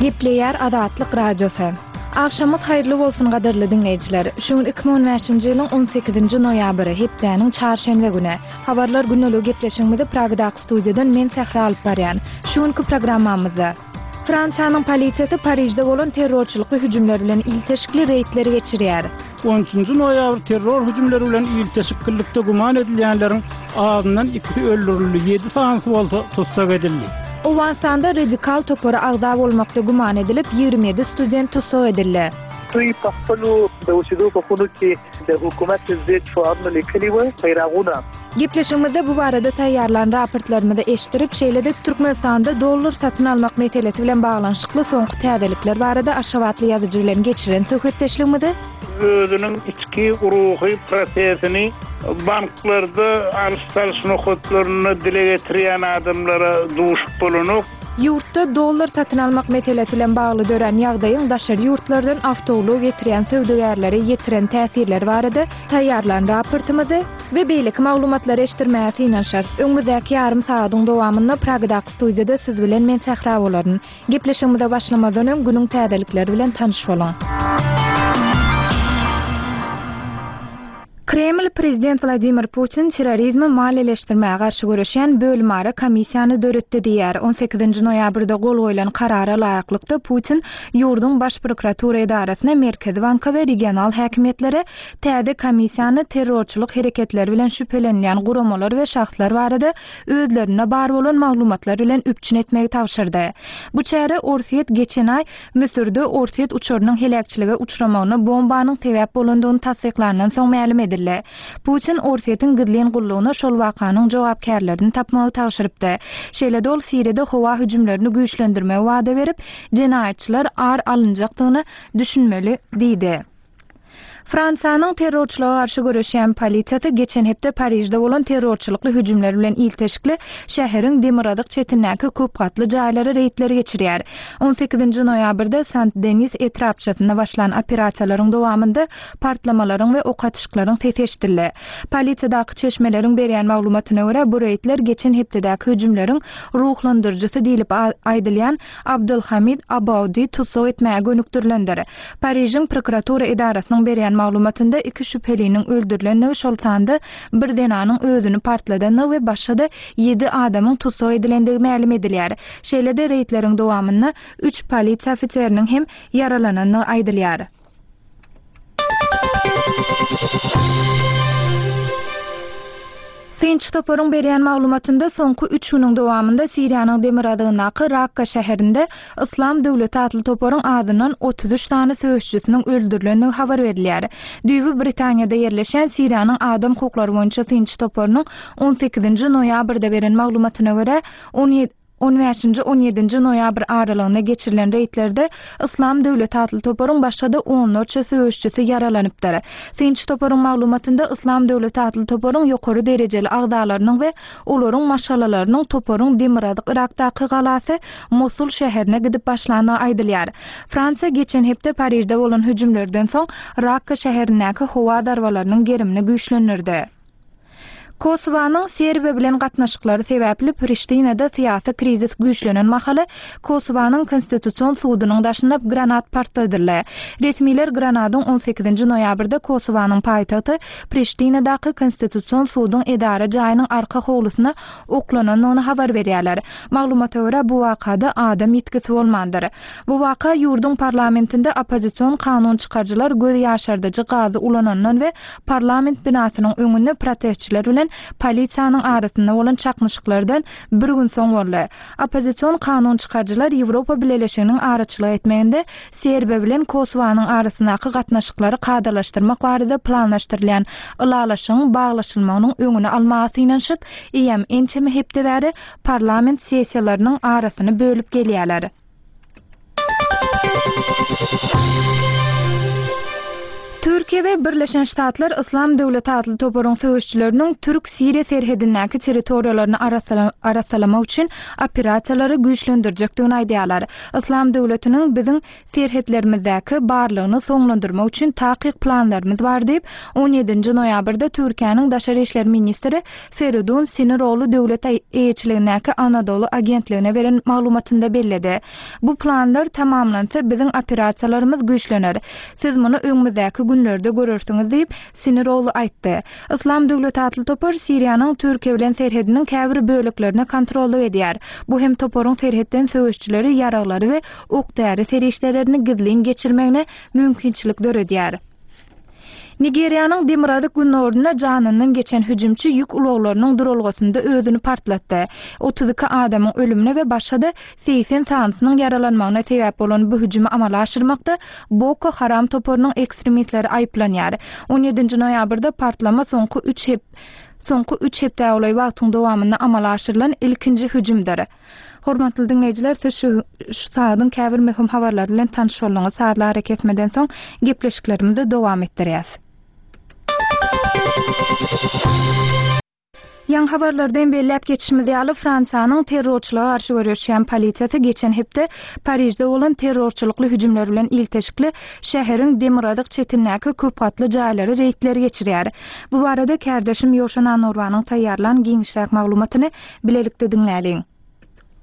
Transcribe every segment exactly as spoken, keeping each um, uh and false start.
Gepleýär Azatlyk Radiosy. Agşamyňyz haýyrly bolsun gadyrly diňleýjiler. Şu gün iki müň on bäşinji ýylyň on sekizinji noýabry, hepdäniň çarşenbe güni. Habarlar gündeligi gepleşigimizi Pragadaky studiýadan men Sähra alyp barýan. Şu günki programmamyzda Fransiýanyň polisiýasy Parižde bolan terrorçylykly hüjümler bilen ilteşikli reýdleri geçirýär. On üçünji noýabr terror hüjümleri bilen ilteşiklilikde güman edilýänleriň azyndan ikisi öldürildi, ýedi sanysy bolsa tussag edildi. Owganystanda radikal topara agza bolmakda güman edilip, ýigrimi ýedi student tussag edildi. دوی په خپلو د اوسېدو په خونو کې د حکومت ضد شعارونه لیکلي وو، بیرغونه. Gepleşigimizde bu barada taýýarlan raportlarymyzy eşitdirip, şeýle-de Türkmenistanda dollar satyn almak meselesi bilen baglanyşykly soňky täzelikler barada Aşgabatly ýazyjy bilen geçiren söhbetdeşligimizi özüniň içki ruhy prosesini banklarda alyş-çalyş nokatlarynda dile getirýän adamlara duşup bolanok. Ýurtda dollar satyn almak meselesi bilen bagly dörän ýagdaýyň daşary ýurtlardan awtoulag getirýän söwdagärlere ýetiren täsirleri barada taýýarlan raportymyzy we beýleki maglumatlary eşitdirmäge synanyşarys. Öňümizdäki ýarym sagadyň dowamynda Pragadaky studiýada siz bilen men Sähra bolaryn. Gepleşigimize başlamazdan öň günüň täzelikleri bilen tanyş boluň. Kreml prezident Vladimir Putin terrorizmi maliýeleşdirmäge garşy göreşýän bölümara komissiýany döretdi diýär. on sekizinji noýabrda gol goýlan karara laýyklykda Putin ýurduň baş prokuratura edarasyna, Merkezi banka we regional häkimiýetlere täze komissiýany terrorçylyk hereketleri bilen şübhelenýän guramalar we şahslar barada özlerine bar bolan maglumatlar bilen üpjün etmegi tabşyrdy. Bu çäre Orsýet geçen aý Müsürde Orsýet uçarynyň heläkçilige uçramagyna bombanyň sebäp bolandygyny tassyklandan soň mälim edildi. Putin Orsýetiň gizlin gullugyna şol wakanyň jogapkärlerini tapmagy tabşyrypdy. Şeýle-de ol Siriýada howa hüjümlerini güýçlendirmegi wada berip, jenaýatçylar ar alynjakdygyny düşünmeli diýdi. Fransiýanyň terrorçylyga garşy göreşýän polisiýasy geçen hepde Parižde bolan terrorçylykly hüjümler bilen ilteşikli şäheriň demirgazyk çetindäki köp gatly jaýlara reýdleri geçirýär. on sekizinji noýabrda Saint-Denis etrapçasynda başlan operasiýalaryň dowamynda partlamalaryň we ok atyşyklaryň sesi eşidildi. Polisiýadaky çeşmeleriň berýän maglumatyna görä bu reýdler geçen hepdedäki hüjümleriň ruhlandyryjysy diýlip aýdylýan Abdulhamid Abaudi tussag etmäge gönükdirilendir. Parižiň prokuratura edarasynyň berýän maglumatynda iki şübheliniň öldürilenligi, şol sanda bir zenanyň özüni partladanlygy we başga-da ýedi adamyň tussag edilendigi mälim edilýär. Şeýle-de reýdleriň dowamynda üç polisiýa ofiseriniň hem ýaralanandygy aýdylýar. Synçy toparyň berýän maglumatynda soňky üç günüň dowamynda Siriýanyň demirgazygyndaky Rakka şäherinde Islam döwleti atly toparyň adyndan otuz üç sany söweşçisiniň öldürilendigi habar berilýär. Düýbi Britaniýada ýerleşen Siriýanyň adam hukuklary boýunça synçy toparynyň on sekizinji noýabrda beren maglumatyna görä on ýedi on bäşinji on ýedinji noýabr aralygynda geçirilen reýdlerde Islam döwleti atly toparyň başga-da onlarça söweşçisi ýaralanypdyr. Synçy toparyň maglumatynda Islam döwleti atly toparyň ýokary derejeli agzalarynyň we olaryň maşgalalarynyň toparyň demirgazyk Irakdaky galasy Mosul şäherine gidip başlandygy aýdylýar. Fransiýa geçen hepde Parižde bolan hüjümlerden soň Rakka şäherindäki howa zarbalarynyň gerimini güýçlendirdi. Kosowanyň Serbiýa bilen gatnaşyklary sebäpli Priştinada syýasy krizis güýçlenen mahaly Kosowanyň konstitusion sudunyň daşynda granat partladyldy. Resmiler granadyň on sekizinji noýabrda Kosowanyň paýtagty Priştinadaky konstitusion suduň edara jaýynyň arka howlusyna oklanandygyny habar berýärler. Maglumata görä bu wakada adam ýitgisi bolmandyr. Bu waka ýurduň parlamentinde oppozision kanun çykaryjylar göz ýaşardyjy gazy ulanandan we parlament binasynyň öňünde protestçiler bilen polisiýanyň arasynda bolan çaknyşyklardan bir gün soň boldy. Oppozision kanun çykaryjylar Ýewropa Bileleşiginiň araçylyk etmeginde Serbiýa bilen Kosowanyň arasyndaky gatnaşyklary kadalaşdyrmak barada planlaşdyrylýan ylalaşygyň baglaşylmagynyň öňüni almaga synanyşyp, eýýäm ençeme hepde bäri parlament sessiýalarynyň arasyny bölüp gelýärler. Türkiýe we Birleşen Ştatlar Yslam döwleti atly toparyň söweşçileriniň türk-siriýa serhedindäki territoriýalaryny arassalamak üçin operasiýalary güýçlendirjekdigini aýdýarlar. Yslam döwletiniň biziň serhetlerimizdäki barlygyny soňlandyrmak üçin takyk planlarymyz bar diýip, on ýedinji noýabrda Türkiýäniň daşary işler ministri Feridun Siniroglu döwlet eýeçiligindäki Anadolu agentligine beren maglumatynda belledi. Bu planlar tamamlansa biziň operasiýalarymyz güýçlener. Siz muny öňümizdäki günlerde görersiňiz diýip, Siniroglu aýtdy. Yslam döwleti atly topar Siriýanyň Türkiýe bilen serhediniň käbir böleklerine kontrollyk edýär. Bu hem toparyň serhetden söweşçileri, ýaraglary we ok-däri serişdelerini gizlin geçirmegine mümkinçilik döredýär. Nigeriýanyň demirgazyk günorunda janyndan geçen hüjümçi ýük ulaglarynyň duralgasynda özüni partlatdy. Otuz iki adamyň ölümine we başga-da segsen sanysynyň ýaralanmagyna sebäp bolan bu hüjümi amala aşyrmakda Boko Haram toparynyň ekstremistleri aýyplanýar. On ýedinji noýabrda partlama soňky üç hep soňky üç hepde golaý wagtyň dowamynda amala aşyrylan ilkinji hüjümdir. Hormatly diňleýjiler, siz şu, şu saadyň käbir möhüm habarlary bilen tanyş bolduňyz. Saatlar hareketmeden soň gepleşiklerimizi dowam etdirýäs. Ýaň habarlardan belläp geçişimiz ýaly, Fransiýanyň terrorçylyga garşy göreşýän polisiýasy geçen hepde Parižde bolan terrorçylykly hüjümler bilen ilteşikli şäheriň demirgazyk çetindäki köp gatly jaýlary reýdler geçirýär. Bu barada kärdeşim Ýoşan Anorwanyň taýýarlan giňişräk maglumatyny bilelikde diňläliň.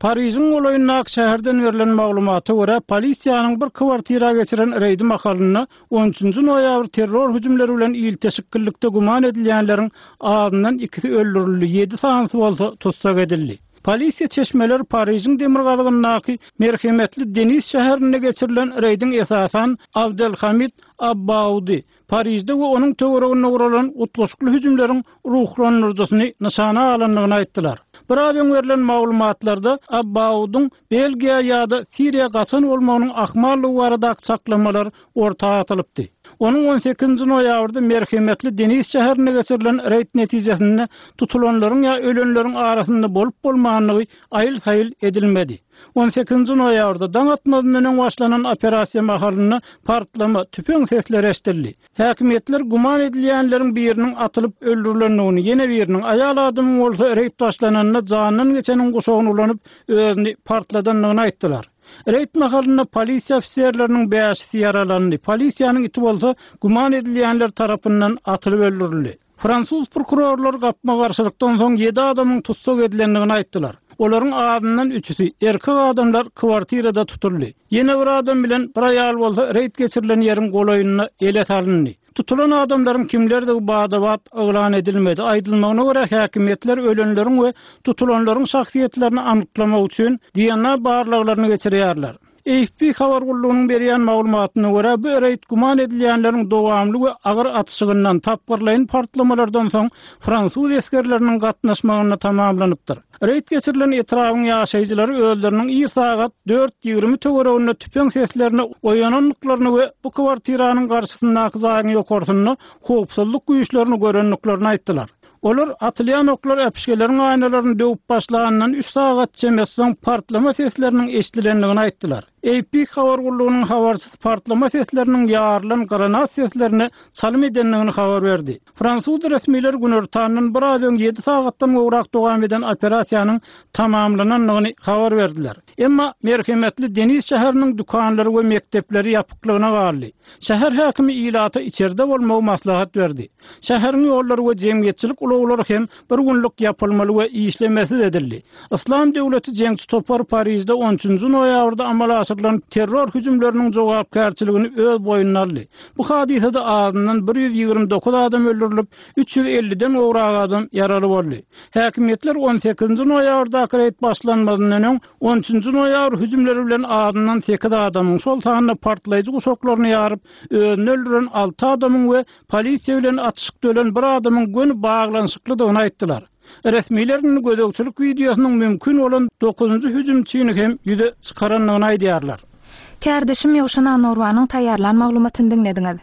Parižiň golaýyndaky şäherden berlen maglumata görä, polisiýanyň bir kwartira geçiren reýdi mahalynda on üçünji noýabr terror hüjümleri bilen ilteşiklilikde güman edilýänleriň azyndan ikisi öldürildi, ýedi sanysy bolsa tussag edildi. Polisiýa çeşmeler Parižiň demirgazygyndaky merhemetli Deniz şäherinde geçirilen reýdiň esasan Abdelhamid Abbaudi, Parižde we onuň töwereginde guralan utgaşykly hüjümleriň ruhlandyryjysyny nyşana alandygyny aýtdylar. Biraz öň berlen maglumatlarda Abbaudyň Belgiýa ýa-da Siriýa gaçan bolmagynyň ahmallygy baradaky çaklamalar orta atylypdy. Onuň on sekizinji noýabrda merhemetli Deniz şäherinde geçirilen reýd netijesinde tutulanlaryň ýa ölenleriň arasynda bolup bolmandygy aýyl-saýyl edilmedi. On sekizinji noýabrda daň atmazyndan öň başlanan operasiýa mahalynda partlama, tüpeň sesleri eşidildi. Häkimiýetler güman edilýänleriň biriniň atylyp öldürilendigini, ýene biriniň aýal adamyň bolsa reýd başlananda jandan geçeniň guşagyny ulanyp özüni partladandygyny aýtdylar. Reýd mahalynda polisiýa ofiserleriniň bäşisi ýaralandy. Polisiýanyň iti bolsa güman edilýänler tarapyndan atylyp öldürildi. Fransuz prokurorlar gapma garşylykdan soň ýedi adamyň tussag edilendigini aýtdylar. Olaryň azyndan üçüsi erkek adamlar kwartirada tutuldy. Ýene bir adam bilen bir aýal bolsa reýd geçirilen ýeriň golaýynda ele salyndy. Tutulan adamlaryň kimlerdigi badabat yglan edilmedi. Aýdylmagyna görä häkimiýetler ölenleriň we tutulanlaryň şahsyýetlerini anyklamak üçin D N A barlaglaryny geçirýärler. A F P habar gullugynyň berýän maglumatyna görä bu reýd güman edilýänleriň dowamly we agyr atyşygyndan tapgyrlaýyn partlamalardan soň fransuz esgerleriniň gatnaşmagynda tamamlanypdyr. Reýd geçirilen etrabyň ýaşaýjylary özleriniň ir sagat dört ýigrimi töwereginde tüpeň seslerini oýanandyklaryny we bu kwartiranyň garşysyndaky jaýyň ýokarsynda howpsuzlyk güýçlerini görendiklerini aýtdylar. Olar atylýan oklar äpişgeleriň aýnalaryny döwüp başlandan üç sagat çemesi soň partlama sesleriniň eşidilendigini aýtdylar. A P habar gullugynyň habarçysy partlama sesleriniň ýarylan granat seslerine çalym edendigini habar berdi. Fransuz resmiler günortandan biraz öň ýedi sagatdan gowrak dowam eden operasiýanyň tamamlanandygyny habar berdiler. Emma merhemetli Deniz şäheriniň dükanlary we mekdepleri ýapyklygyna galdy. Şäher häkimi ilata içerde bolmagy maslahat berdi. Şäheriň ýollary we jemgyýetçilik ulaglary hem bir günlük ýapylmaly we işlemesiz edildi. Islam döwleti jeňçi topary Parižde on üçünji noýabrda amala aşyrylan terror hüjümleriniň jogapkärçiligini öz boýnuna aldy. Bu hadysada azyndan bir ýüz ýigrimi dokuz adam öldürilip, üç ýüz elliden gowrak adam ýaraly boldy. Häkimiýetler on sekizinji noýabrdaky reýd başlanmazyndan öň on üçünji noýabr hüjümleri bilen azyndan sekiz adamyň, şol sanda partlaýjy guşaklaryny ýaryp, özüni öldüren alty adamyň we polisiýa bilen atyşykda ölen bir adamyň göni baglanyşyklydygyny aýtdylar. Resmiler gözegçilik wideosynyň mümkin bolan dokuzynjy hüjümçini hem ýüze çykarandygyny aýdýarlar. Kärdeşim Ýowşan Anorwanyň taýýarlan maglumatyny diňlediňiz.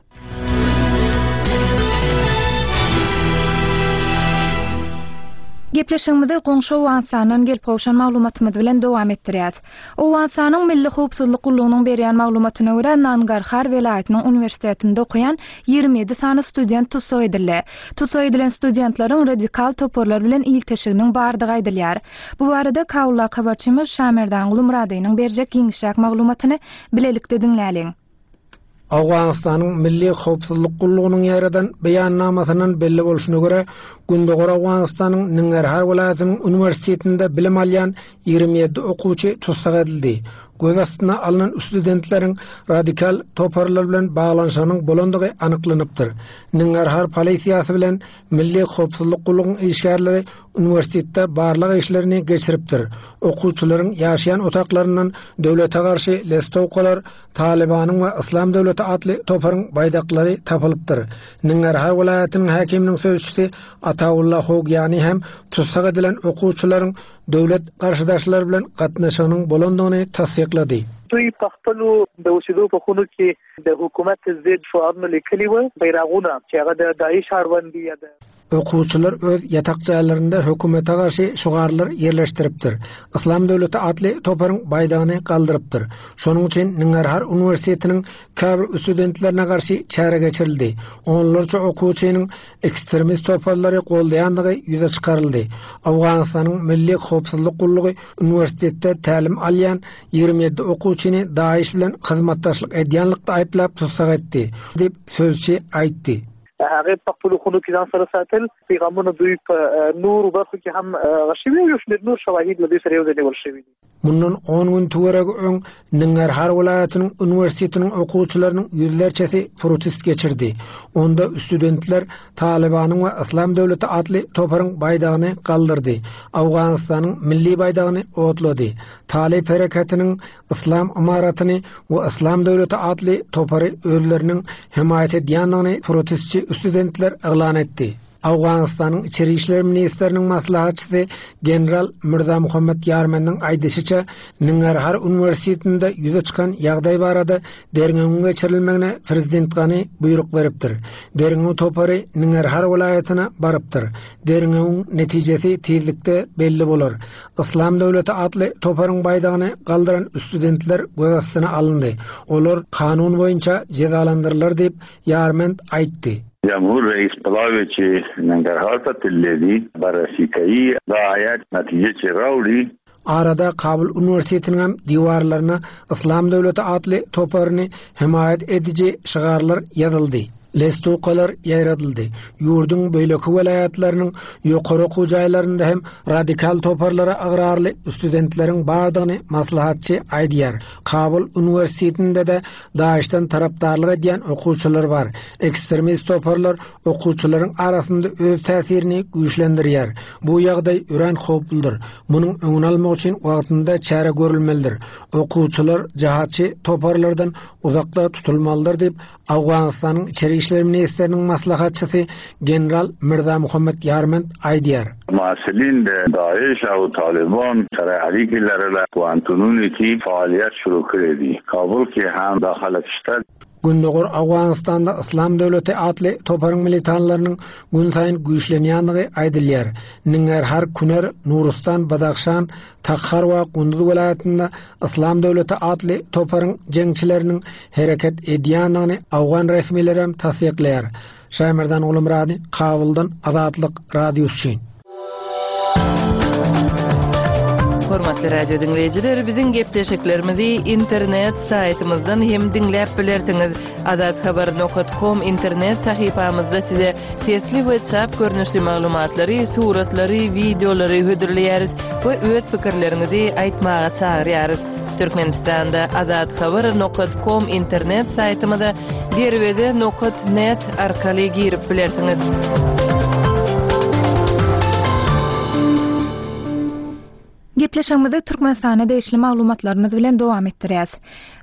Gepleşigimizi goňşy Owganystandan gelip gowşan maglumatymyz bilen dowam etdirýäris. Owganystanyň Milli howpsuzlyk gullugynyň berýän maglumatyna görä, Nangarhar welaýatynyň uniwersitetinde okaýan ýigrimi ýedi sany student tussag edildi. Tussag edilen studentleriň radikal toparlar bilen ilteşiginiň bardygy aýdylýar. Bu barada Kabuldaky habarçymyz Şamerdan Gulumyradynyň berjek giňişräk maglumatyny bilelikde diňläliň. Owganystanyň Milli Howpsuzlyk Gullugynyň ýaradan beýannamasyndan belli bolşuna görä, Gündogar Owganystanyň Nangarhar welaýatynyň uniwersitetinde bilim alýan ýigrimi ýedi okuwçy tussag edildi. Göz astyna alnan studentleriň radikal toparlar bilen baglanyşygynyň bolandygy anyklanypdyr. Nangarhar polisiýasy bilen Milli Howpsuzlyk Gullugynyň işgärleri uniwersitetde barlag işlerini geçiripdir. Okuwçylaryň ýaşaýan otaklaryndan döwlete garşy listowkalar, Talibanyň we Islam döwleti atly toparyň baýdaklary tapylypdyr. Nangarhar welaýatynyň häkiminiň sözçüsi Ataullah Hogyani hem tussag edilen okuwçylaryň döwlet garşydaşlary bilen gatnaşygynyň bolandygyny tassyklady. دوی په خپلو د اوسېدو په خونو کې د حکومت ضد شعارونه لیکلي وو، بیرغونه چې هغه د داعش اړوند دي یا د Okuwçylar öz ýatak jaýlarynda hökümete garşy şygarlar ýerleşdiripdir. Islam döwleti atly toparyň baýdagyny galdyrypdyr. Şonuň üçin Nangarhar uniwersitetiniň käbir studentlerine garşy çäre geçirildi. Onlarça okuwçynyň ekstremist toparlary goldaýandygy ýüze çykaryldy. Owganystanyň Milli Howpsuzlyk Gullugy uniwersitetde tälim alýan ýigrimi ýedi okuwçyny DAEŞ bilen hyzmatdaşlyk edýänlikde aýyplap tussag etdi, diýip sözçi aýtdy. هغه په خپلو خونو کې ځان سره ساتل. پیغامونه دوی په نورو برخو کې هم هغه شوي او یو شمېر نور شواهد له دوی سره یو ځای نیول شوي دي. Mundan on gün töweregi öň Nangarhar welaýatynyň uniwersitetiniň okuwçylarynyň ýüzlerçesi protest geçirdi. Onda studentler Talibanyň we Islam döwleti atly toparyň baýdagyny galdyrdy. Owganystanyň milli baýdagyny otlady. Talib hereketiniň Islam ymaratyny we Islam döwleti atly topary özleriniň himaýat edýändigini protestçi studentler yglan etdi. Owganystanyň Içeri işler ministriniň maslahatçysy General Mirza Muhammed Ýarmendiň aýdyşyça, Nangarhar uniwersitetinde ýüze çykan ýagdaý barada derňewiň geçirilmegine prezident Gani buýruk beripdir. Derňew topary Nangarhar welaýatyna barypdyr. Derňewiň netijesi tizlikde belli bolar. Islam döwleti atly toparyň baýdagyny galdyran studentler göz astyna alyndy. Olar kanun boýunça jezalandyrylar diýip Ýarmend aýtdy. جمهور رئیس پلاوی چې ننګرهار ته تللی دی بررسي کوي دا آیات نتیجه چې راوړي. Arada Kabul Üniversitetiniň hem diwarlaryna Islam döwleti atly toparyny himaýat ediji şygarlar ýazyldy. Listowkalar ýaýradyldy. Ýurduň beýleki welaýatlarynyň ýokary okuw jaýlarynda hem radikal toparlara agrarly studentleriň bardygyny maslahatçy aýdýar. Kabul Üniversitetinde de DAEŞ'den tarapdarlyk edýän okuwçylar bar. Ekstremist toparlar okuwçylaryň arasynda öz täsirini güýçlendirýär. Bu ýagdaý örän howpludyr. Munuň öňüni almak üçin wagtynda çäre görülmelidir. Okuwçylar jihatçy toparlardan uzakda tutulmalydyr diýip Owganystanyň Içeri işler ministriniň maslahatçysy General Mirza Muhammed Ýarmend aýdýar. محصلین د داعش او طالبان سره اړیکې لرله پوهنتونونو کې فعالیت شروع کړی دی. کابل کې هم دا خلک شته. Gündogar Owganystanda Islam döwleti atly toparyň militanlarynyň gün saýyn güýçlenýändigi aýdylýar. Nangarhar, Kunar, Nurustan, Badakhşan, Takhar we Gunduz welaýatynda Islam döwleti atly toparyň jeňçileriniň hereket edýändigini Owgan resmileri hem tassyklaýar. Şaýmerdan Ulumrady, Kabuldan Azatlyk Radiosy üçin. Hormatly radio dinleýjiler, biziň gepleşiklerimizi internet saýtymyzdan hem diňläp bilersiňiz. Azathabar nokta com internet sahypamyzda size sesli we çap görnüşli maglumatlary, suratlary, wideolary hödürleýäris we öz pikirleriňizi aýtmaga çagyrýarys. Türkmenistanda azathabar nokta com internet saýtymyza derweze nokta net arkaly girip bilersiňiz. Gepleşigimizi Türkmenistana degişli maglumatlarymyz bilen dowam etdirýäs.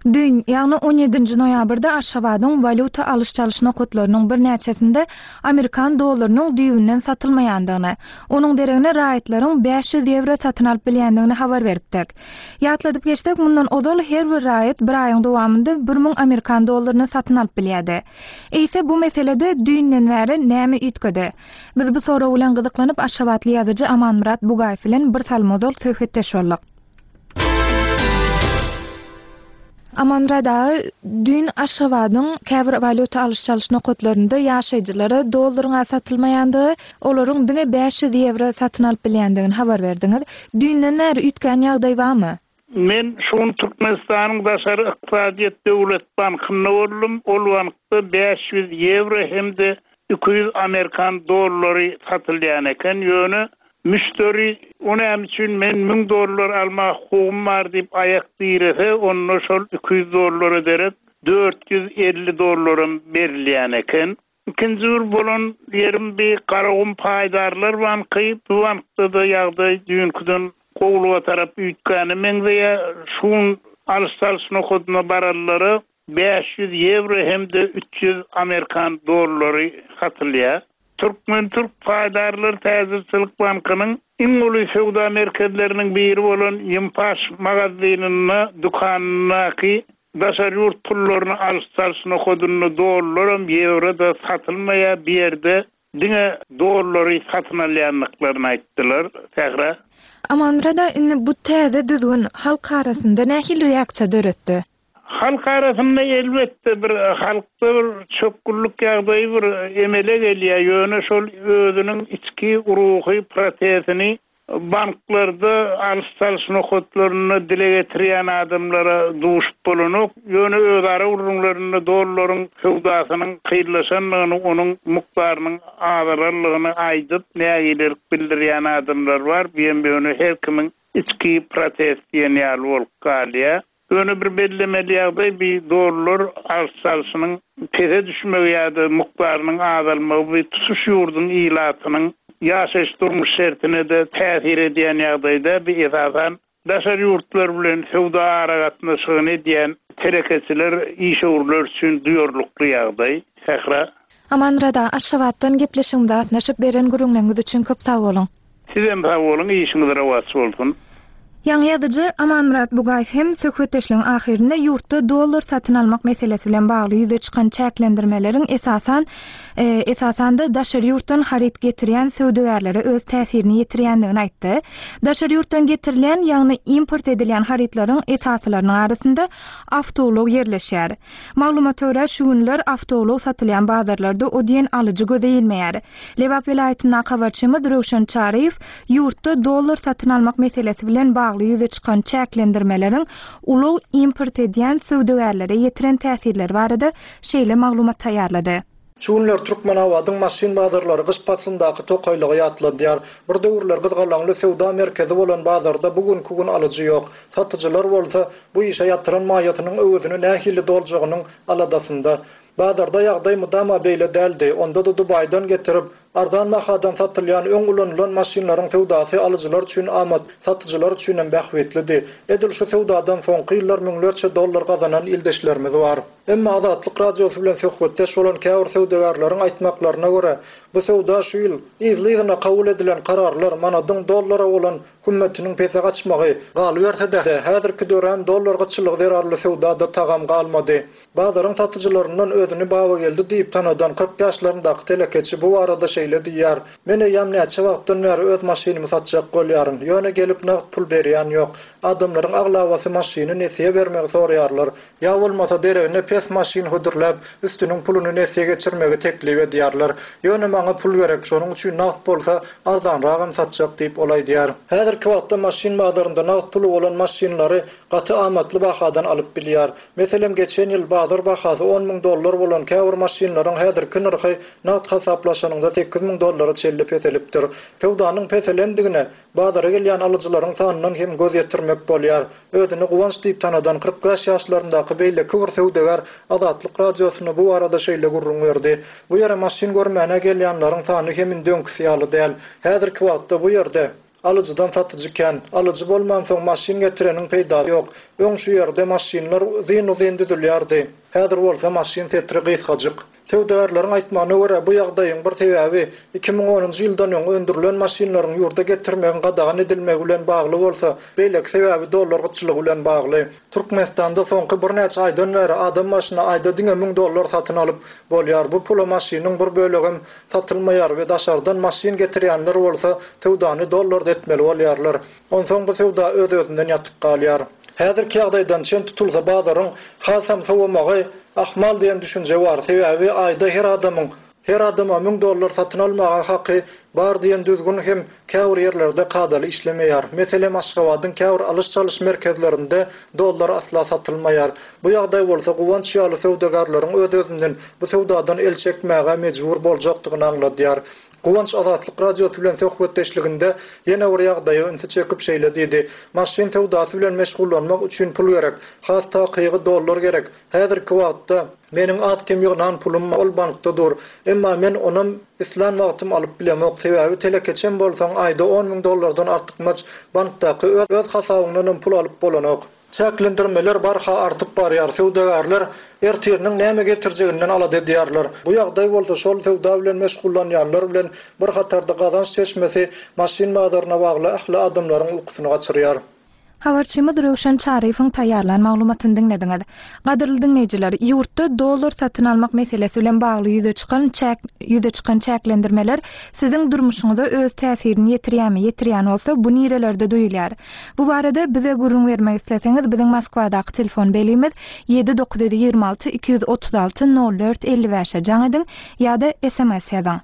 Düýn, ýagny on ýedinji noýabrda Aşgabadyň walýuta alyş-çalyş nokatlarynyň birnäçesinde amerikan dollarynyň düýbünden satylmaýandygyny, onuň deregine raýatlaryň bäş ýüz ýewro satyn alyp bilýändigini habar beripdik. Ýatladyp geçsek, mundan ozal her bir raýat bir aýyň dowamynda bir müň amerikan dollaryny satyn alyp bilýärdi. Eýse bu meselede düýnden bäri näme üýtgedi? Biz bu sorag bilen gyzyklanyp Aşgabatly ýazyjy Amanmyrat Bugaýew bilen bir salym ozal söhbetdeş bolduk. Amanmyrat aga, düýn Aşgabadyň käbir walýuta alyş-çalyş nokatlarynda ýaşaýjylara dollaryň satylmaýandygy, olaryň diňe bäş ýüz ýewro satyn alyp bilýändigini habar berdiňiz. Düýnden bäri üýtgän ýagdaý barmy? Men şuň Türkmenistanyň Daşary Ykdysadyýet Döwlet Bankynda boldum. Ol bankda bäş ýüz ýewro hem-de iki ýüz amerikan dollary satylýan eken. Ýöne müşderi o näme üçin men müň dollar alma hukugym bar diýip aýak direse, onda şol iki ýüz dollara derek dört ýüz elli dollaram berilýän eken. Ikinji bir bolan ýerim bir Garagum Paýdarlar Banky. Bu bankda da ýagdaý düýnküden gowluga tarap üýtgäne meňzeýär. Şuň alyş-çalyş nokadyna baranlara bäş ýüz ýewro hem-de üç ýüz amerikan dollary satylýar. Türkmen Türk Paýdarlar Täjirçilik Bankynyň iň uly söwda merkezleriniň biri bolan Ýympaş magazynynda dükanyndaky daşary ýurt pullaryny alyş-çalyş nokadynda dollaram, ýewro da satylmaýar. Bir ýerde diňe dollary satyn alýandyklaryny aýtdylar. Sähra. Amanmyrat aga, indi bu täze düzgün halk arasynda nähili reaksiýa döretdi? Halk arasynda elbetde bir halkda bir çökgünlik ýagdaýy bir emele gelýär. Ýöne şol özüniň içki ruhy protestini banklarda alyş-çalyş nokatlarynda dile getirýän adamlara duşup bolanok. Ýöne özara gürrüňlerinde dollaryň söwdasynyň kynlaşandygyny, onuň mukdarynyň azalandygyny aýdyp, nägilelik bildirýän adamlar bar. Bu hem ýöne her kimiň içki protest diýen ýaly bolup galýar. Ýöne bir bellemeli ýagdaý bir dollar alyş-çalşynyň pese düşmegi ýa-da mukdarynyň azalmagy bu tutuş ýurduň ilatynyň ýaşaýyş durmuş şertine de täsir edýän ýagdaýda bir esasan daşary ýurtlar bilen söwda aragatnaşygyny edýän telekeçiler, işewürler üçin duýarlykly ýagdaý. Sähra. Amanmyrat aga, Aşgabatdan gepleşigimize gatnaşyp beren gürrüňleriňiz üçin köp sag boluň. Sizem sag boluň, işiňiz rowaç bolsun. Ýaňy ýazyjy Amanmyrat Bugaýew hem söhbetdeşligiň ahyrynda ýurtda dollar satyn almak meselesi bilen bagly ýüze çykan çäklendirmeleriň esasan, e, esasanda daşary ýurtdan haryt getirýän söwdagärlere öz täsirini ýetirýändigini aýtdy. Daşary ýurtdan getirilýän, ýagny import edilýän harytlaryň esasylarynyň arasynda awtoulag ýerleşýär. Maglumata görä, şu günler awtoulag satylýan bazarlarda o diýen alyjy göze ilmeýär. Lebap welaýatyndaky habarçymyz Röwşen Çaryýew ýurtda dollar satyn almak meselesi bilen bagly ýüze çykan çäklendirmeleriň ulag import edýän söwdagärlere ýetiren täsirleri barada şeýle maglumat taýýarlady. Şu günler Türkmenabadyň maşyn bazarlary gyş paslyndaky tokaýlygy ýatladýar. Bir döwürler gyzgalaňly söwda merkezi bolan bazarda bugünkü gün alyjy ýok. Satyjylar bolsa bu işe ýatyran maýasynyň öwezini nähili doljagynyň aladasynda. Bazarda ýagdaý mudama beýle däldi. Onda da Dubaýdan getirip, arzan bahadan satylýan öň ulanylan maşynlaryň söwdasy alyjylar üçin amat, satyjylar üçin hem bähbitlidi. Edil şu söwdadan soňky ýyllar müňlerçe dollar gazanan ildeşlerimiz bar. Emma Azatlyk Radiosy bilen söhbetdeş bolan käbir söwdagärleriň aýtmaklaryna görä, bu söwda şu ýyl yzly-yzyna kabul edilen kararlar manadyň dollara bolan hümmetiniň pese gaçmagy, galyberse-de, häzirki dörän dollar gytçylygy zerarly söwdada tagam galmady. Bazaryň satyjylaryndan özüni Babageldi diýip tanadan kyrk ýaşlaryndaky telekeçi bu barada şeýle diýýär. Men eýýäm näçe wagtdan bäri öz maşynymy satjak bolýaryn. Ýöne gelip nagt pul berýän ýok. Adamlaryň aglabasy maşyny nesiýe bermegi soraýarlar. Ýa bolmasa deregine pes maşyn hödürläp, üstüniň puluny nesiýe geçirmegi teklip edýärler. Ýöne maňa pul gerek, şonuň üçin nagt bolsa arzanragam satjak diýip ol aýdýar. Häzirki wagtda maşyn bazarynda nagt puly bolan maşynlary gaty amatly bahadan alyp bilýär. Meselem, geçen ýyl bazar bahasy on müň dollar bolan käbir maşynlaryň häzirki nyrhy nagt hasaplaşanynda sekiz müň dollara çenli peselipdir. Söwdanyň peselendigine bazara gelýän alyjylaryň sanyndan hem göz ýetirmek bolýar. Özüni Guwanç diýip tanadan kyrk bäş ýaşlaryndaky beýleki bir söwdagär Azatlyk Radiosyna bu barada şeýle gürrüň berdi. Bu ýere maşyn görmäne gelýänleriň sany hem indi öňküsi ýaly däl. Häzirki wagtda bu ýerde Alyjydan satyjy kän. Alyjy bolmansoň maşyn getireniň peýdasy ýok. Öň şu ýerde maşynlar uzyn-uzyn düzülýärdi. Häzir bolsa maşyn setiri gysgajyk. Söwdagärleriň aýtmagyna görä, bu ýagdaýyň bir sebäbi iki müň onunjy ýyldan öň öndürilen maşynlaryň ýurda getirmegiň gadagan edilmegi bilen bagly bolsa, beýleki sebäbi dollar gytçylygy bilen bagly. Türkmenistanda soňky birnäçe aýdan bäri adam başyna aýda diňe müň dollar satyn alyp bolýar. Bu pula maşynyň bir bölegem satylmaýar we daşardan maşyn getirýänler bolsa söwdany dollarda etmeli bolýarlar. Onsoň bu söwda öz-özünden ýatyp galýar. Häzirki ýagdaýdan çen tutulsa bazaryň hasam sowamagy ahmal diýen düşünje bar. Sebäbi aýda her adamyň her adama müň dollar satyn almaga haky bar diýen düzgün hem käbir ýerlerde kadaly işlemeýär. Meselem, Aşgabadyň käbir alyş-çalyş merkezlerinde dollar asla satylmaýar. Bu ýagdaý bolsa Guwanç ýaly söwdagärleriň öz-özünden bu söwdadan el çekmäge mejbur boljakdygyny aňladýar. Guwanç Azatlyk Radiosy bilen söhbetdeşliginde ýene bir ýagdaýa ünsi çekip şeýle diýdi: Maşyn söwdasy bilen meşgullanmak üçin pul gerek. Has takygy dollar gerek. Häzirki wagtda meniň az kem ýygnan pulum ol bankda dur. Emma men onam islän wagtym alyp bilemok. Sebäbi telekeçem bolsaň aýda on müň dollardan artykmaç bankdaky öz hasabyňdan pul alyp bolanok. Çäklendirmeler barha artyp barýar. Söwdagärler ertiriniň näme getirjeginden alada edýärler. Bu ýagdaý bolsa şol söwda bilen meşgullanýanlar bilen bir hatarda gazanç çeşmesi maşyn bazaryna bagly ähli adamlaryň ukusyny gaçyrýar. Habarçymyz Röwşen Çaryýewiň taýýarlan maglumatyny diňlediňiz. Gadyrly diňleýjiler, ýurtda dollar satyn almak meselesi bilen bagly ýüze çykan çäk ýüze çykan çäklendirmeler siziň durmuşyňyza öz täsirini ýetirýärmi? Ýetirýän bolsa, bu nirelerde duýulýar? Bu barada bize gürrüň bermek isleseňiz, biziň Moskwadaky telefon belgimiz ýedi dokuz ýüz ýigrimi alty iki ýüz otuz alty nol dört elli bäşe jaň ediň ýa-da S M S ýazyň.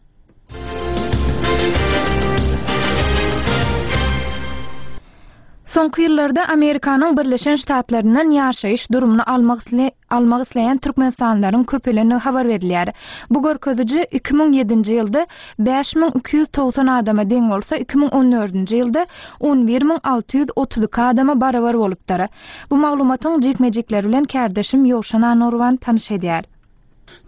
Soňky ýyllarda Amerikanyň Birleşen Ştatlaryndan ýaşaýyş durumyny almak isle-, almak isleýän türkmenistanlylaryň köpelendigi habar berilýär. Bu görkeziji iki müň ýedinji ýylda bäş müň iki ýüz togsan adama deň bolsa, iki müň on dördünji ýylda on bir müň alty ýüz otuz iki adama barabar bolupdyr. Bu maglumatyň jikme-jikleri bilen kärdeşim Ýowşan Anurwan tanyş edýär.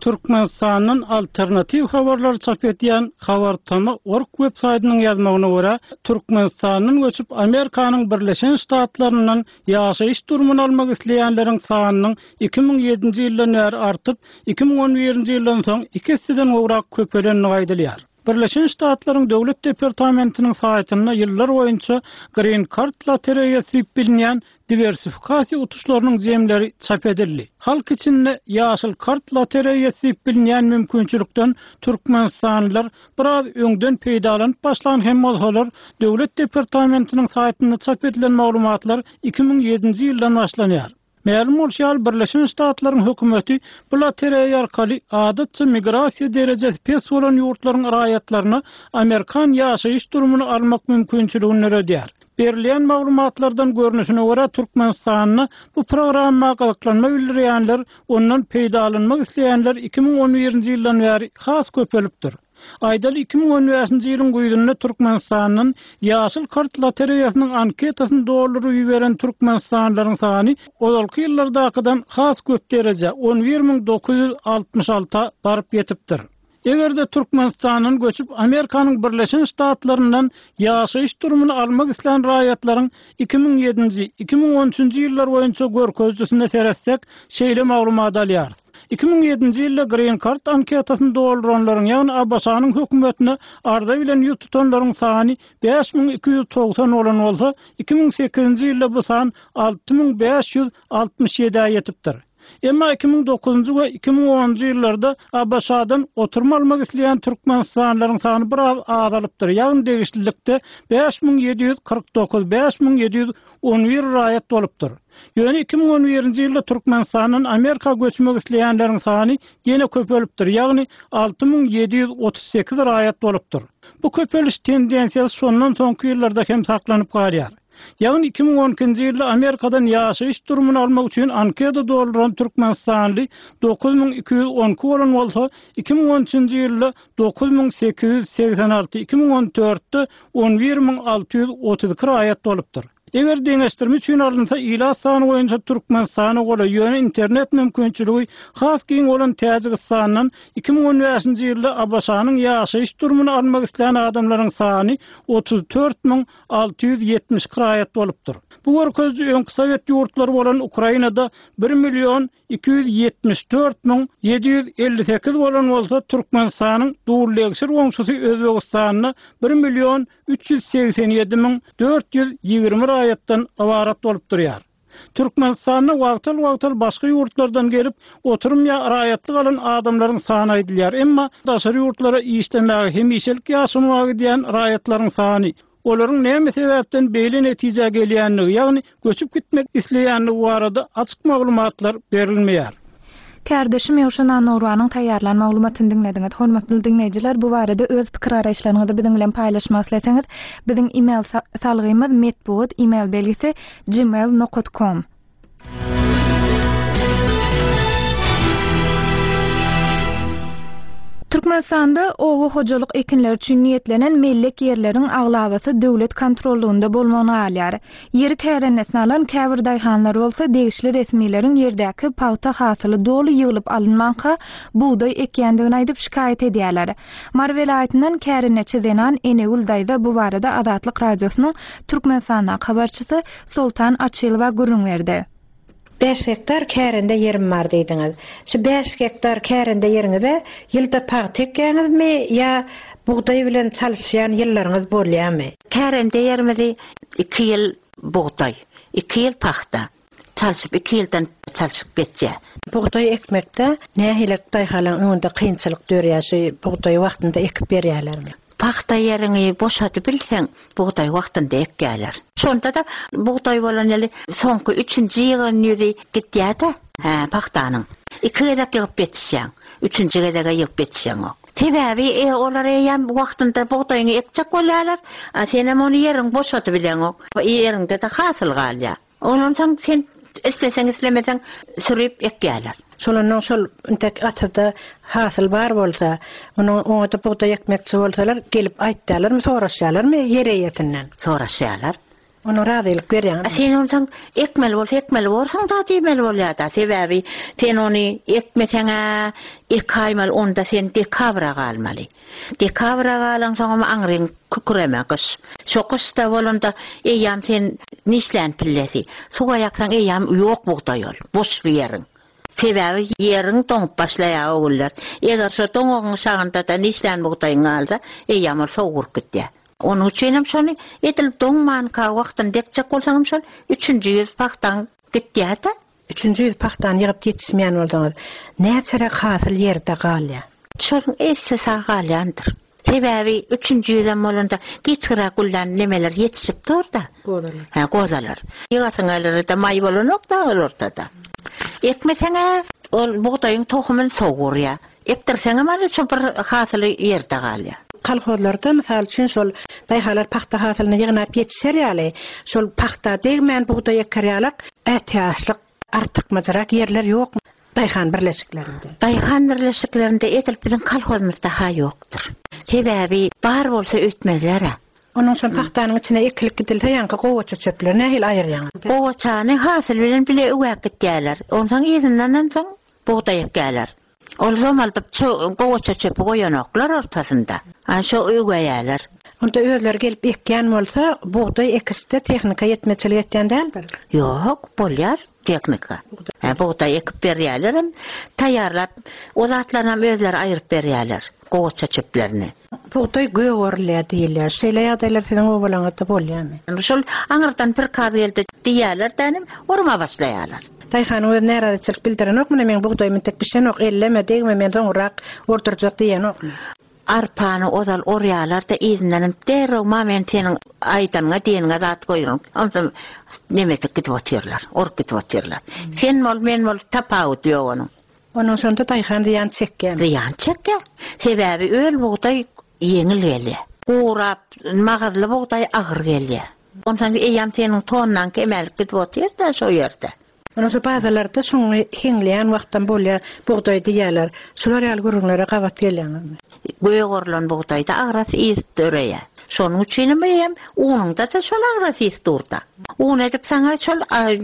Türkmenistandan alternatiw habarlar çap edýän Habartama org web saýtynyň ýazmagyna görä, Türkmenistandan göçüp Amerikanyň Birleşen Ştatlaryndan ýaşaýyş durumyny almak isleýänleriň sanynyň iki müň ýedinji ýyldan bäri artyp, iki müň on birinji ýyldan soň iki esseden gowrak köpelendigi aýdylýar. Birleşen Ştatlaryň Döwlet Departamentiniň saýtynda ýyllar boýunça Green Card lotereýasy diýip bilinýän diwersifikasiýa utuşlarynyň jemleri çap edildi. Halk içinde ýaşyl kart lotereýasy diýip bilinýän mümkinçilikden türkmenistanlylar biraz öňden peýdalanyp başlan hem bolsalar, Döwlet Departamentiniň saýtynda çap edilen maglumatlar iki müň ýedinji ýyldan başlanýar. Mälum bolşy ýaly, Birleşen Ştatlaryň hökümeti bu lotereýa arkaly adatça migrasiýa derejesi pes bolan ýurtlaryň raýatlaryna Amerikan ýaşaýyş durumyny almak mümkinçiligini döredýär. Berilýän maglumatlardan görnüşine görä, Türkmenistanda bu programma gyzyklanma bildirýänler, ondan peýdalanmak isleýänler iki müň on birinji ýyldan bäri has köpelipdir. Aýdaly iki müň on bäşinji ýylyň güýzünde Türkmenistandan ýaşyl kart lotereýasynyň anketasyny dolduryp iberen türkmenistanlylaryň sany ozalky ýyllardakydan has köp dereje on bir müň dokuz ýüz altmyş alta baryp ýetipdir. Eger-de Türkmenistandan göçüp Amerikanyň Birleşen Ştatlaryndan ýaşaýyş durumyny almak islän raýatlaryň iki müň ýedinji, iki müň on üçünji ýyllar boýunça görkezijisine seretsek, şeýle maglumat alýarys. Iki müň ýedinji ýylda Green Card anketasyny dolduranlaryň, ýagny A B Ş-nyň hökümetine arza bilen ýüz tutanlaryň sany bäş müň iki ýüz togsan bolan bolsa, iki müň sekizinji ýylda bu san alty müň bäş ýüz altmyş ýedä ýetipdir. Emma iki müň dokuzynjy we iki müň onunjy ýyllarda A B Ş-dan oturma almak isleýän türkmenistanlylaryň sany biraz azalypdyr. Ýagny degişlilikde bäş müň ýedi ýüz kyrk dokuz, bäş müň ýedi ýüz on bir raýat bolupdyr. Ýöne iki müň on birinji ýylda Türkmenistandan Amerika göçmek isleýänleriň sany ýene köpelipdir. Ýagny alty müň ýedi ýüz otuz sekiz raýat bolupdyr. Bu köpeliş tendensiýasy şondan soňky ýyllarda hem saklanyp galýar. Ýagny iki müň on ikinji ýylda Amerikadan ýaşaýyş durumyny almak üçin anketa dolduran türkmenistanly dokuz müň iki ýüz on iki bolan bolsa, iki müň on üçünji ýylda dokuz müň sekiz ýüz segsen alty, iki müň on dörtde on bir müň alty ýüz otuz iki raýat bolupdyr. Eger deňeşdirme üçin alynsa ilat sany boýunça Türkmenistana golaý, ýöne internet mümkinçiligi has giň bolan Täjigistandan iki müň on bäşinji ýylda ABŞ-nyň ýaşaýyş durumyny almak islän adamlaryň sany otuz dört müň alty ýüz ýetmiş iki raýat bolupdyr. Bu görkeziji öňki Sowet ýurtlary bolan Ukrainada bir million iki ýüz ýetmiş dört müň ýedi ýüz elli sekiz bolan bolsa, Türkmenistanyň dullegşir goňşusy Özbegistanda bir million üç ýüz segsen ýedi müň dört ýüz ýigrimi raýatdan ybarat bolup durýar. Türkmenistanda wagtal-wagtal başga ýurtlardan gelip, oturum ýa raýatlyk alan adamlaryň sany aýdylýar. Emma daşary ýurtlara işlemäge hemişelik ýaşamaga gidýän raýatlaryň sany, olaryň näme sebäpden beýle netijä gelýänligi, ýagny göçüp gitmek isleýänligi barada açyk maglumatlar berilmeýär. Kärdeşim Ýowşan Annauranyň taýýarlan maglumatyny diňlediňiz. Hormatly diňleýjiler, bu barada öz pikir garaýyşlaryňyzy biziň bilen paýlaşmak isleseňiz, biziň e-mail sa-, salgymyz metbugat e-mail belgisi gmail nokta com. Türkmenistanda oba hojalyk ekinleri üçin niýetlenen mellek ýerleriň aglabasy döwlet kontrollugynda bolmagyny galýar. Ýeri kärennesini alan käbir daýhanlar bolsa degişli resmileriň ýerdäki pagta hasyly doly ýygylyp alynmanka bugdaý ekýändigini aýdyp şikaýat edýärler. Mary welaýatyndan kärenneçi zenan Enegül daýza bu barada Azatlyk Radiosynyň Türkmenistandaky habarçysy Soltan Açylowa gürrüň berdi. Beş gektar kärende ýerim bar diýdiňiz. Şu beş gektar kärende ýeriňize ýylda pagta ekýäňizmi ýa bugdaý bilen çalyşýan ýyllaryňyz bolýarmy? Kärende ýerimizi iki ýyl bugdaý, iki ýyl pagta çalşyp iki ýyldan çalşyp geçýär. Bugdaý ekmekde nähili daýhanlaryň öňünde kynçylyk dörýär, şu bugdaý wagtynda ekip berýärlermi? Pagta ýeriňi boşadyp bilseň, bugdaý wagtynda ekýärler. Şonda da bugdaý bolan ýeri soňky üçünji ýygyň ýüzi gitýär-de, hä, pagtanyň. Iki gezek ýygyp ýetişýäň, üçünji gezege ýygyp ýetişeňok. Sebäbi, e, olar eýýäm wagtynda bugdaýyňy ekjek bolýarlar, a senem ony ýeriň boşadyp bileňok. Ýeriňde-de hasyl galýar. Ondan soň sen isleseň islemeseň sürüp ekýärler. Şolandan şol intek atada hasyl bar bolsa, onuň oňa-da bugdaý ekmekçi bolsalar, gelip aýtýarlarmy, soraşýarlarmy ýer eýesinden? Soraşýarlar. Onu razylyk berýän. A sen ondan ekmeli bolsa ekmeli bolsaň da diýmeli bolýar-da. Sebäbi sen ony ekmeseň-ä, ekaýmaly, onda sen dekabra galmaly. Dekabra galan soňam aňryň küküreme gyş. Şo gyşda bolanda eýýäm sen nişlän pillesi. Suwa ýaksaň eýýäm ýok bugdaý ol, boş bir ýeriň. Sebäbi ýeriň doňup başlaýar o günler. Eger şo doňugyň şagynda da nişlän bugdaýyň galsa, eýýäm ol sowuryp gitýär. Onuň üçin hem şony edil doňmanka wagtyn dekjek bolsaň şol üçünji ýüz pagtaň gitýär-de. Üçünji ýüz pagtany ýygyp ýetişmeýän bolsaňyz, näçe hasyl ýerde galýar? Şonuň esse sag galýandyr. Sebäbi üçünji ýüzem bolanda giçgiräk gülden nemeler ýetişip dur-da. Gozalar. Hä, gozalar. Ýygasyň gelir-de maý bolanok da ol ortada. Ekmeseň-ä, ol bugdaýyň tohumyny sowurýar. Ekdirseňem ýa şo bir hasyly ýerde galýar. Kolhozlarda mysal üçin şol daýhalar pagta hasylyny ýygnap ýetişer ýaly, şol pagta degmän bugdaý eker ýalak, ätiýaçlyk artykmajyrak ýerler ýok daýhan birleşiklerinde. Daýhan birleşiklerinde edil biziň kolhozymyzda ha ýokdur. Sebäbi bar bolsa ötmezler-ä. Onuň şol pagtanyň içine ekilip gidilse, ýaňky gowaça çöpleri nähili aýyrýaňyz? Gowaçany hasyl bilen bile öwäp gitýärler. Onsoň yzyndan soň bugdaý ekýärler. Ol zomaldyp ço-, gowaça çöpi goýanoklar ortasynda. A şo öwäýärler. Onda özleri gelip ekýän bolsa, bugdaý ekişde tehnika ýetmeçilik etýän däldir? Ýok, bolýar tehnika. Hä, bugdaý ekip berýärler hem, taýýarlap, o zatlaryny hem özleri aýryp berýärler, gowaça çöplerini. Bugdaý gök orulýar diýilýär. Şeýle ýagdaýlar siziň obalaryňyzda bolýarmy? Şol aňyrdan bir kaz geldi diýýärler dänim, orma başlaýarlar. Daýhanyň öz närazyçylyk bildirenok, muny men bugdaýymy tek bişenok, elleme, degme, men soňrak ordurjak diýenok. Arpany ozal orýarlar da yzyndan derrew ma men seniň aýdanyňa diýeniňe zat goýrun. Onsoň nemetik gidip otyrlar, orup gidip otyrlar. Sen bol, men bol, tapawut ýok onuň. Onuň şonda daýhan zyýan çekýär. Zyýan çekýär. Sebäbi öl bugdaý ýeňil gelýär. Gurap, magazly bugdaý agyr gelýär. Onsoň eýýäm seniň tonnaň kemelip gidip otyr-da şo ýerde. Onuň şu bazalarda şoňy heňleýän wagtdan bolýar, bugdaý diýýärler. Şular ýaly gürrüňlere gabat gelýäňizmi? Göýe gorulan bugdaýda agrasy ýygyp döreýär. Şonuň üçin hem unuňda-da şol agrasys durda. Un edip saňa şol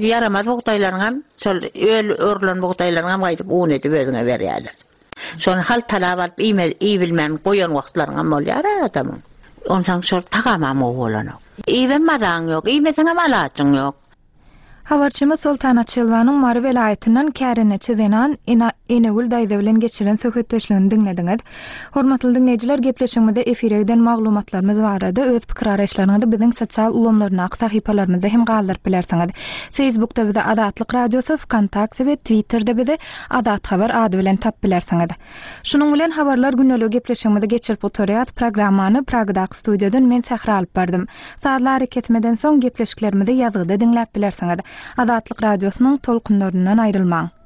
ýaramaz bugdaýlaryň hem, şol öl örülen bugdaýlaryň hem gaýdyp un edip özüňe berýärler. Şony haltalap alyp iýme, iýbilmän goýan wagtlaryň hem bolýar adamyň. Onsoň şol tagamam gowy bolanok. Iýibem mazaň ýok, iýmeseňem alajyň ýok. Habarçymyz Soltan Açylwanyň Mary welaýatyndan kärendeçi zenan Ena Enegül daýza bilen geçiren söhbetdeşligini diňlediňiz. Hormatly diňleýjiler, gepleşigimizde efire giden maglumatlarymyz barada öz pikir araýyşlaryňyzy biziň sosial ulgamlaryndaky sahypalarymyzda hem galdyryp bilersiňiz. Facebookda bizi Azatlyk Radiosy, VKontakte we Twitterde bizi Azat Habar ady bilen tap bilersiňiz. Şunuň bilen habarlar gündelik gepleşigimizi geçirip oturýas. Programmany Pragdaky studiýadan men Sähra alyp bardym. Sazlary kesmeden soň gepleşiklerimizi ýazgyda diňläp bilersiňiz. Azatlyk Radiosynyň tolkunlaryndan aýrylmaň.